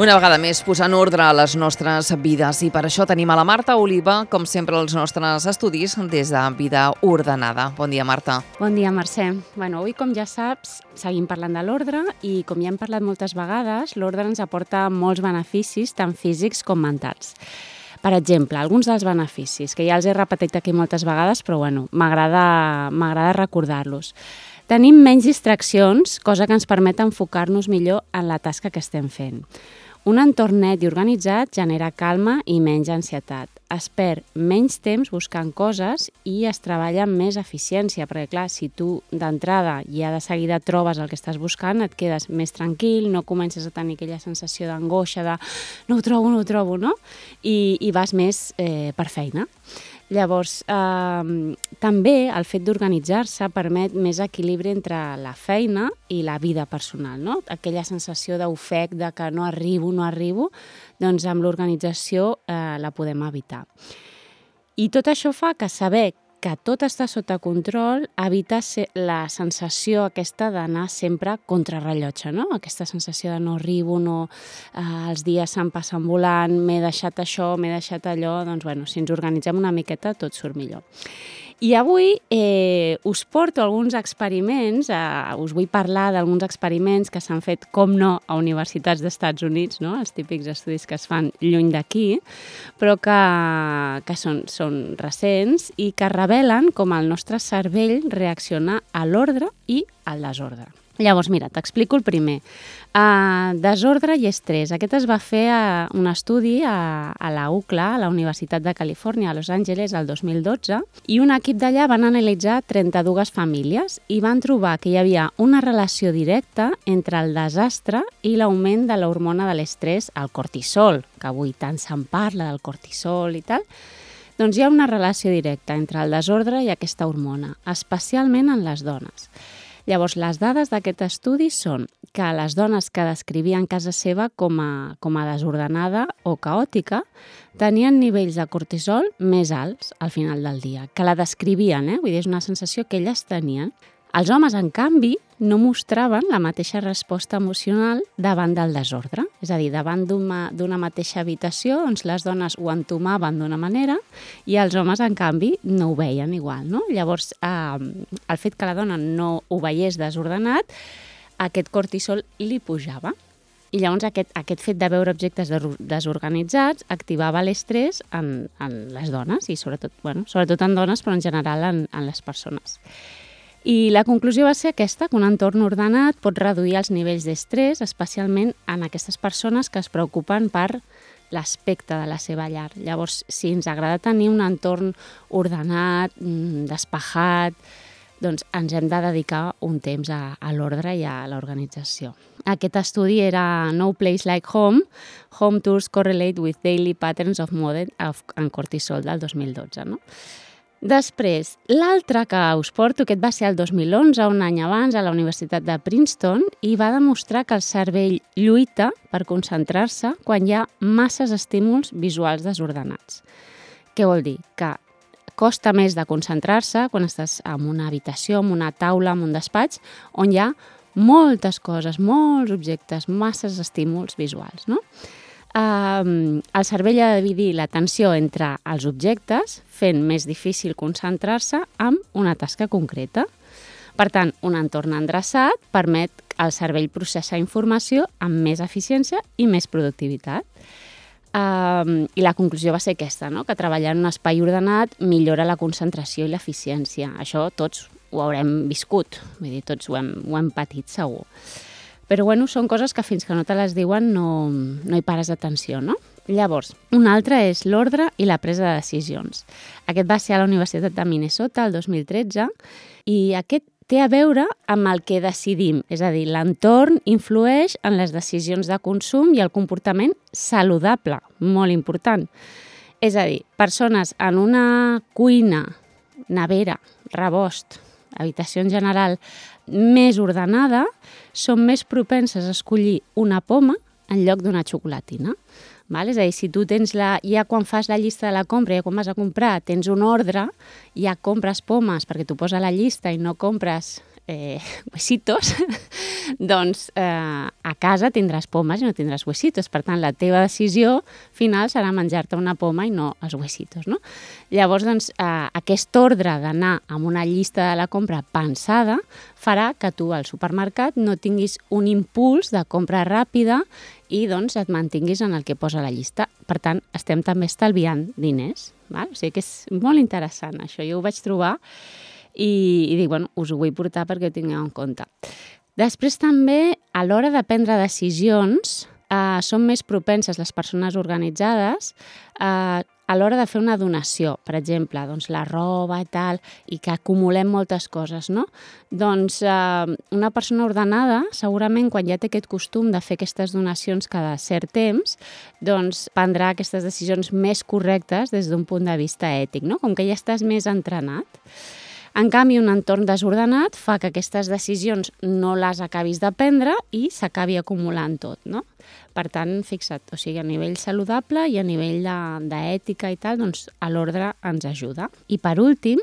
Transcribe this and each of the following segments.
Una vegada més, posant ordre a les nostres vides, i per això tenim a la Marta Oliva, com sempre, als nostres estudis des de Vida Ordenada. Bon dia, Marta. Bon dia, Mercè. Avui, com ja saps, seguim parlant de l'ordre i, com ja hem parlat moltes vegades, l'ordre ens aporta molts beneficis, tant físics com mentals. Per exemple, alguns dels beneficis, que ja els he repetit aquí moltes vegades, però m'agrada recordar-los. Tenim menys distraccions, cosa que ens permet enfocar-nos millor en la tasca que estem fent. Un entorn net i organitzat genera calma i menys ansietat. Es perd menys temps buscant coses i es treballa amb més eficiència, perquè clar, si tu d'entrada ja de seguida trobes el que estàs buscant, et quedes més tranquil, no comences a tenir aquella sensació d'angoixa, de no ho trobo, no? I vas més per feina. Llavors, també el fet d'organitzar-se permet més equilibri entre la feina i la vida personal, no? Aquella sensació d'ofec, de que no arribo, doncs amb l'organització la podem evitar. I tot això fa que saber que tot està sota control evita la sensació aquesta d'anar sempre contrarrellotge, no? Aquesta sensació de no arribo, els dies se'n passen volant, m'he deixat això, m'he deixat allò, doncs si ens organitzem una miqueta tot surt millor. I avui us porto alguns experiments, us vull parlar d'alguns experiments que s'han fet, com no, a universitats d'Estats Units, no? Els típics estudis que es fan lluny d'aquí, però que són recents i que revelen com el nostre cervell reacciona a l'ordre i al desordre. Llavors, mira, t'explico el primer. Desordre i estrès. Aquest es va fer un estudi a la UCLA, a la Universitat de Califòrnia, a Los Angeles, el 2012, i un equip d'allà van analitzar 32 famílies i van trobar que hi havia una relació directa entre el desastre i l'augment de l'hormona de l'estrès, el cortisol, que avui tant se'n parla del cortisol i tal. Doncs hi ha una relació directa entre el desordre i aquesta hormona, especialment en les dones. Llavors, les dades d'aquest estudi són que les dones que descrivien casa seva com a desordenada o caòtica tenien nivells de cortisol més alts al final del dia, que la descrivien, vull dir, és una sensació que elles tenien. Els homes, en canvi, no mostraven la mateixa resposta emocional davant del desordre. És a dir, davant d'una mateixa habitació, doncs les dones ho entomaven d'una manera i els homes, en canvi, no ho veien igual, no? Llavors, el fet que la dona no ho veiés desordenat, aquest cortisol li pujava. I llavors aquest fet de veure objectes desorganitzats activava l'estrès en les dones, i sobretot en dones, però en general en les persones. I la conclusió va ser aquesta, que un entorn ordenat pot reduir els nivells d'estrès, especialment en aquestes persones que es preocupen per l'aspecte de la seva llar. Llavors, si ens agrada tenir un entorn ordenat, despejat, doncs ens hem de dedicar un temps a l'ordre i a l'organització. Aquest estudi era No Place Like Home, Home Tours Correlate with Daily Patterns of Mood and Cortisol, del 2012, no? Després, l'altre que us porto, aquest va ser el 2011, un any abans, a la Universitat de Princeton, i va demostrar que el cervell lluita per concentrar-se quan hi ha masses estímuls visuals desordenats. Què vol dir? Que costa més de concentrar-se quan estàs en una habitació, en una taula, en un despatx, on hi ha moltes coses, molts objectes, masses estímuls visuals, no? El cervell ha de dividir l'atenció entre els objectes, fent més difícil concentrar-se en una tasca concreta. Per tant, un entorn endreçat permet al cervell processar informació amb més eficiència i més productivitat. I la conclusió va ser aquesta, no? Que treballar en un espai ordenat millora la concentració i l'eficiència. Això tots ho haurem viscut, vull dir, tots ho hem patit segur. Però són coses que fins que no te les diuen no hi pares atenció, no? Llavors, un altre és l'ordre i la presa de decisions. Aquest va ser a la Universitat de Minnesota el 2013 i aquest té a veure amb el que decidim, és a dir, l'entorn influeix en les decisions de consum i el comportament saludable, molt important. És a dir, persones en una cuina, nevera, rebost, habitació en general més ordenada, són més propenses a escollir una poma en lloc d'una xocolatina. És a dir, si tu tens ja quan fas la llista de la compra, ja quan vas a comprar, tens un ordre, ja compres pomes perquè t'ho posa a la llista i no compres huesitos, doncs a casa tindràs pomes i no tindràs huesitos. Per tant, la teva decisió final serà menjar-te una poma i no els huesitos, no? Llavors, doncs, aquest ordre d'anar amb una llista de la compra pensada farà que tu al supermercat no tinguis un impuls de compra ràpida i doncs et mantinguis en el que posa la llista. Per tant, estem també estalviant diners. Val? O sigui que és molt interessant això. Jo ho vaig trobar i dic, bueno, us ho vull portar perquè ho tingueu en compte. Després també, a l'hora de prendre decisions, són més propenses les persones organitzades a l'hora de fer una donació, per exemple, doncs la roba i tal, i que acumulem moltes coses, no? Doncs una persona ordenada, segurament quan ja té aquest costum de fer aquestes donacions cada cert temps, doncs prendrà aquestes decisions més correctes des d'un punt de vista ètic, no? Com que ja estàs més entrenat. En canvi, un entorn desordenat fa que aquestes decisions no les acabis de prendre i s'acabi acumulant tot, no? Per tant, fixa't, o sigui, a nivell saludable i a nivell d'ètica i tal, doncs l'ordre ens ajuda. I per últim,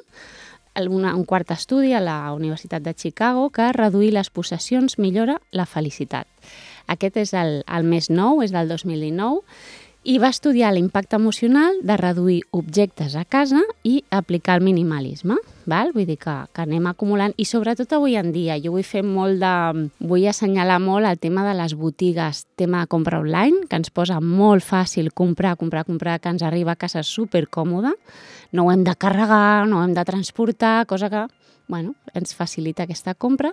un quart estudi a la Universitat de Chicago que reduir les possessions millora la felicitat. Aquest és el més nou, és del 2019, i va estudiar l'impacte emocional de reduir objectes a casa i aplicar el minimalisme. Val? Vull dir que anem acumulant, i sobretot avui en dia, jo vull assenyalar molt el tema de les botigues, tema de compra online, que ens posa molt fàcil comprar, que ens arriba a casa supercòmode, no ho hem de carregar, no ho hem de transportar, cosa que ens facilita aquesta compra,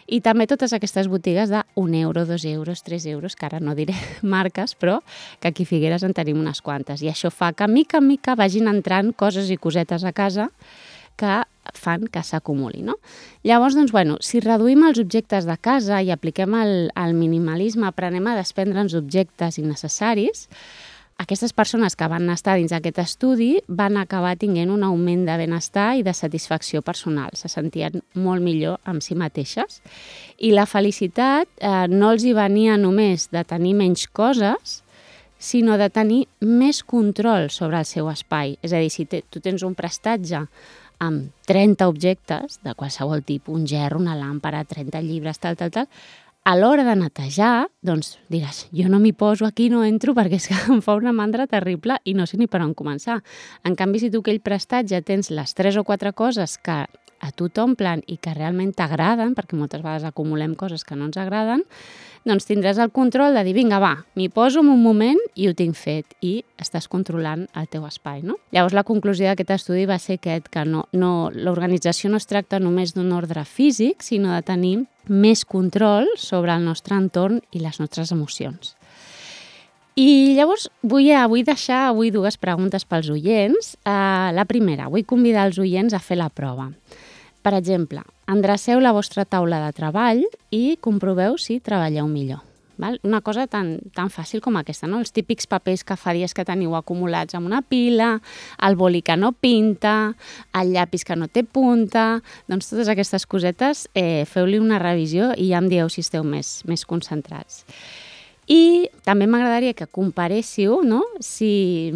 i també totes aquestes botigues de 1 euro, 2 euros, 3 euros, que ara no diré marques, però que aquí a Figueres en tenim unes quantes, i això fa que mica en mica vagin entrant coses i cosetes a casa que fan que s'acumuli, no? Llavors, doncs, si reduïm els objectes de casa i apliquem el minimalisme, aprenem a desprendre'ns objectes innecessaris, aquestes persones que van estar dins d'aquest estudi van acabar tinguent un augment de benestar i de satisfacció personal. Se sentien molt millor amb si mateixes. I la felicitat no els hi venia només de tenir menys coses, sinó de tenir més control sobre el seu espai. És a dir, si tu tens un prestatge amb 30 objectes de qualsevol tipus, un gerro, una làmpara, 30 llibres, tal, a l'hora de netejar, doncs diràs, jo no m'hi poso aquí, no entro, perquè és que em fa una mandra terrible i no sé ni per on començar. En canvi, si tu aquell prestatge tens les 3 o 4 coses que a tu t'omplen i que realment t'agraden, perquè moltes vegades acumulem coses que no ens agraden, doncs tindràs el control de dir, vinga, va, m'hi poso en un moment i ho tinc fet, i estàs controlant el teu espai, no? Llavors, la conclusió d'aquest estudi va ser que l'organització no es tracta només d'un ordre físic, sinó de tenir més control sobre el nostre entorn i les nostres emocions. I llavors vull deixar avui 2 preguntes pels oients. La primera, vull convidar els oients a fer la prova. Per exemple, endreceu la vostra taula de treball i comproveu si treballeu millor. Val? Una cosa tan fàcil com aquesta, no? Els típics papers que fa dies que teniu acumulats en una pila, el boli que no pinta, el llapis que no té punta, doncs totes aquestes cosetes feu-li una revisió i ja em dieu si esteu més concentrats. I també m'agradaria que comparéssiu, no? Si,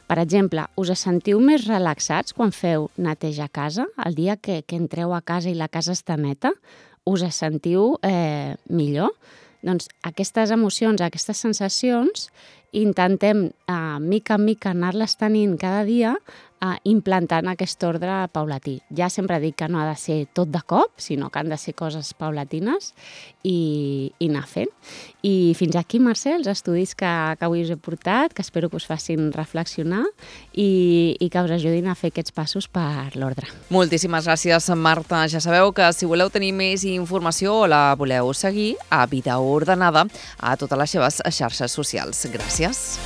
per exemple, us sentiu més relaxats quan feu neteja a casa, el dia que entreu a casa i la casa està neta, us sentiu millor? Doncs aquestes emocions, aquestes sensacions, intentem mica en mica anar-les tenint cada dia, implantant aquest ordre paulatí. Ja sempre dic que no ha de ser tot de cop, sinó que han de ser coses paulatines i anar fent. I fins aquí, Mercè, els estudis que avui us he portat, que espero que us facin reflexionar i que us ajudin a fer aquests passos per l'ordre. Moltíssimes gràcies, Marta. Ja sabeu que si voleu tenir més informació o la voleu seguir, a Vida Ordenada a totes les seves xarxes socials. Gràcies.